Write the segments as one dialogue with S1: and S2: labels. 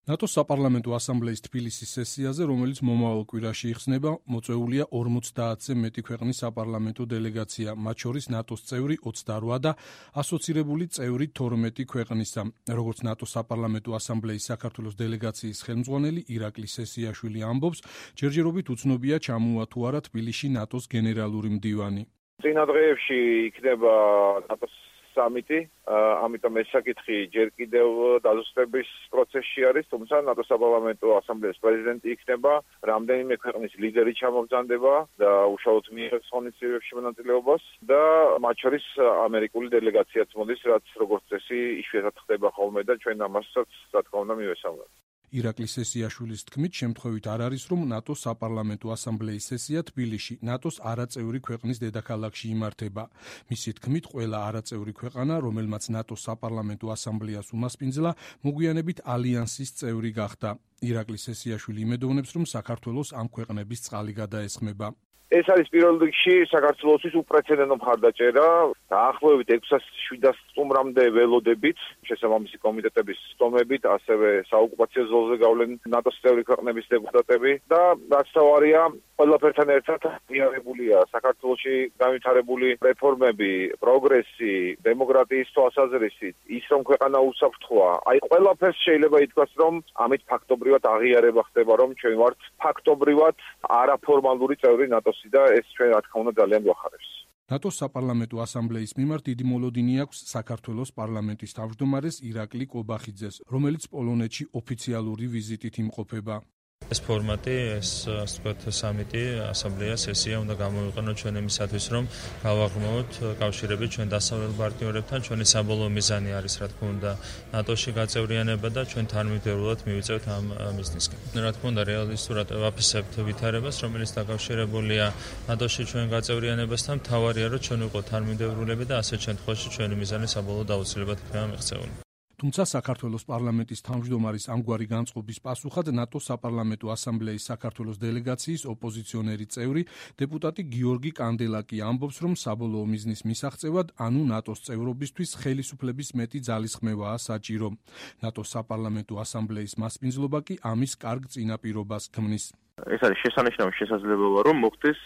S1: ნატოს საპარლამენტო ასამბლეის თბილისის სესიაზე, რომელიც მომავალ კვირაში იხსნება, მოწვეულია 50-ზე მეტი ქვეყნის საპარლამენტო დელეგაცია, მათ შორის ნატოს წევრი 28 და ასოცირებული წევრი 12 ქვეყნისა. Როგორც ნატოს საპარლამენტო ასამბლეის საქართველოს დელეგაციის ხელმძღვანელი ირაკლი სესიაშვილი ამბობს, ჯერჯერობით უცნობია ჩამოვა თუ არა თბილისში ნატოს გენერალური მდივანი.
S2: წინა დღეებში იქნება ნატოს სამიტი, ამიტომ ეს საკითხი ჯერ კიდევ დაზუსტების პროცესში არის, თუმცა ნატოს საპარლამენტო ასამბლეის პრეზიდენტი იქნება, რამდენიმე ქვეყნის ლიდერი ჩამოგზანდება და უშუალოდ მიიღებს ღონისძიებებში მონაწილეობას და მათ შორის ამერიკული დელეგაციაც მოდის, რაც როგორც წესი იშვიათად ხდება ხოლმე და ჩვენ ამასაც რა თქმა უნდა მივესალმებით.
S1: ირაკლი სესიაშვილის თქმით, შემთხვევით არ არის, რომ ნატოს საპარლამენტო ასამბლეის სესია თბილისში, ნატოს არაწევრი ქვეყნის დედაქალაქში იმართება. მისი თქმით, ყველა არაწევრი ქვეყანა, რომელმაც ნატოს საპარლამენტო ასამბლეას უმასპინძლა, მოგვიანებით ალიანსის წევრი გახდა. ირაკლი სესიაშვილი იმედოვნებს, რომ საქართველოს ამ ქვეყნების წყალი გადაესხმება.
S2: ეს არის პირველ რიგში საქართველოსთვის უპრეცედენტო მხარდაჭერა. დაახლოებით 600-700 სტუმრამდე ველოდებით, შესაბამისი კომიტეტების სტუმრებით, ასევე საოკუპაციო ზოლზე გავლენ ნატოს წევრი ქვეყნების დეპუტატები და რაც თავარია, ყველაფერთან ერთად აღიარებულია საქართველოში განვითარებული რეფორმები, პროგრესი, დემოკრატიის თვალსაზრისით, ის რომ ქვეყანა უსაფრთხოა. აი ყველაფერს შეიძლება ითქვას, რომ ამით ფაქტობრივად აღიარება ხდება, რომ ჩვენ ვართ ფაქტობრივად არაფორმალური წევრი ნატოსი და ეს ჩვენ რა თქმა უნდა ძალიან გვახარებს.
S1: ნატოს საპარლამენტო ასამბლეის მიმართ დიდი მოლოდინი აქვს საქართველოს პარლამენტის თავმჯდომარეს ირაკლი კობახიძეს, რომელიც პოლონეთში ოფიციალური ვიზიტით იმყოფება.
S3: ეს ფორმატი, ეს ასე ვთქვათ, სამიტი, ასამბლეა, სესია უნდა გამოვიყენოთ ჩვენ იმისათვის, რომ გავაღრმავოთ კავშირები ჩვენ დასავლელ პარტნიორებთან, ჩვენი საბოლოო მიზანი არის, რა თქმა უნდა, ნატოში გაწევრიანება და ჩვენ თანმიმდევრულად მივიწევთ ამ მიზნისკენ. რა თქმა უნდა, რეალისტურად ვაფასებთ ვითარებას, რომელიც დაკავშირებულია ნატოში ჩვენ გაწევრიანებასთან, მთავარია, რომ ჩვენ ვიყოთ თანმიმდევრულები და ასეთ შემთხვევაში ჩვენი მიზანი საბოლოოდ აუცილებლად იქნება მიღწეული.
S1: თუმცა საქართველოს პარლამენტის თავმჯდომარის ამგვარი განწყობის პასუხად ნატოს საპარლამენტო ასამბლეის საქართველოს დელეგაციის ოპოზიციონერი წევრი დეპუტატი გიორგი კანდელაკი ამბობს, რომ საბოლოო მიზნის მისაღწევად, ანუ ნატოს წევრობისთვის ხელისუფლების მეტი ძალისხმევაა საჭირო. ნატოს საპარლამენტო ასამბლეის მასპინძლობა კი ამის კარგ წინაპირობას ქმნის.
S2: ეს არის შესანიშნავი შესაძლებლობა, რომ მოხდეს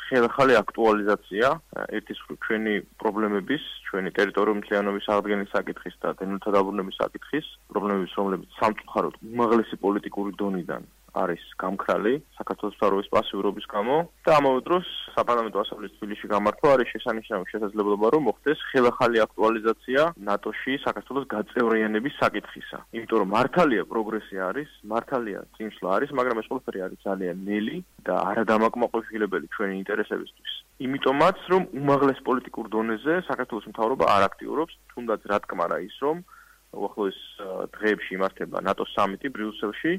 S2: ხელახალი აქტუალიზაცია ერთის მხრივ ჩვენი პრობლემების, ჩვენი ტერიტორიული მთლიანობის აღდგენის საკითხის და დევნილთა დაბრუნების საკითხის, პრობლემების, რომლებიც სამწუხაროდ უმაღლესი პოლიტიკური დონიდან არის გამქრალი საქართველოს მთავრობის პასიურობის გამო და ამავე დროს საპარლამენტო ასამბლეის თბილისში გამართვა არის შესანიშნავი შესაძლებლობა, რომ მოხდეს ხელახალი აქტუალიზაცია ნატოში საქართველოს გაწევრიანების საკითხისა. იმიტომ რომ მართალია პროგრესი არის, მართალია წინსვლა არის, მაგრამ ეს ყველაფერი არის ძალიან ნელი და არადამაკმაყოფილებელი ჩვენი ინტერესებისთვის. იმიტომაც, რომ უმაღლეს პოლიტიკურ დონეზე საქართველოს მთავრობა არ აქტიურობს, თუნდაც რა თქმარა ის, რომ უახლოეს დღეებში იმართება ნატოს სამიტი ბრიუსელში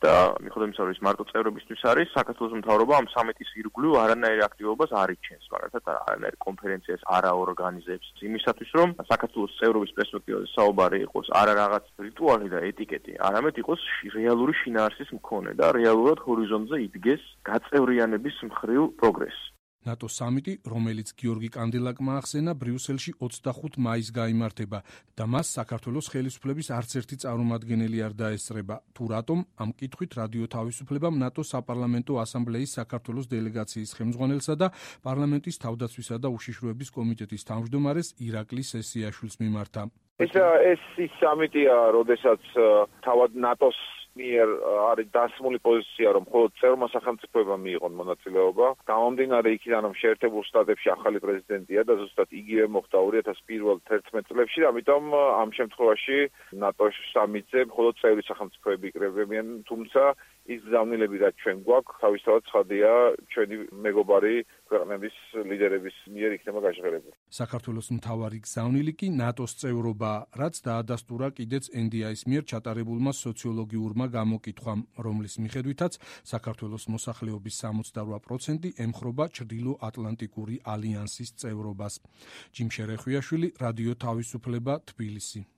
S2: და მიუხედავად იმისა, რომ ის მარტო წევრებისთვის არის, საქართველოს მთავრობა ამ სამიტის ირგვლივ არანაირ აქტივობას არ იჩენს, მაგალითად არანაირ კონფერენციას არ აორგანიზებს იმისათვის, რომ საქართველოს წევრობის პერსპექტივაზე საუბარი იყოს არა რაღაც რიტუალი და ეტიკეტი, არამედ იყოს რეალური შინაარსის მქონე და რეალურად ჰორიზონტზე იდგეს გაწევრიანების მხრივ პროგრესი.
S1: ნატოს სამიტი, რომელიც გიორგი კანდელაკმა ახსენა, ბრიუსელში 25 მაისს გაიმართება და მას საქართველოს ხელისუფლების არც ერთი წარმომადგენელი არ დაესწრება. თუ რატომ, ამ კითხვით რადიო თავისუფლებამ ნატოს საპარლამენტო ასამბლეის საქართველოს დელეგაციის ხელმძღვანელსა და პარლამენტის თავდაცვისა და უშიშროების კომიტეტის თავმჯდომარეს ირაკლი სესიაშვილს მიმართა.
S2: ეს სამიტია, როდესაც თავად ნატოს მიერ არის დასმული პოზიცია, რომ მხოლოდ წევრმა სახელმწიფოებმა მიიღონ მონაწილეობა. გამომდინარე იქიდან, რომ შეერთებულ შტატებში ახალი პრეზიდენტია და ზუსტად იგივე მოხდა 2011 წლებში, ამიტომ ამ შემთხვევაში ნატოს სამიტზე მხოლოდ წევრი სახელმწიფოები იკრებებიან, თუმცა ის გზავნილები, რაც ჩვენ გვაქვს, თავისთავად ცხადია, ჩვენი მეგობარი ქვეყნების ლიდერების მიერ იქნება გაჟღერებული.
S1: საქართველოს მთავარი გზავნილი კი ნატოს წევრობა, რაც დაადასტურა კიდეც NDI-ის მიერ ჩატარებულმა სოციოლოგიურმა გამოკითხვამ, რომლის მიხედვითაც საქართველოს მოსახლეობის 68% ემხრობა ჩრდილო-ატლანტიკური ალიანსის წევრობას. ჯიმ შერეხვიაშვილი, რადიო თავისუფლება, თბილისი.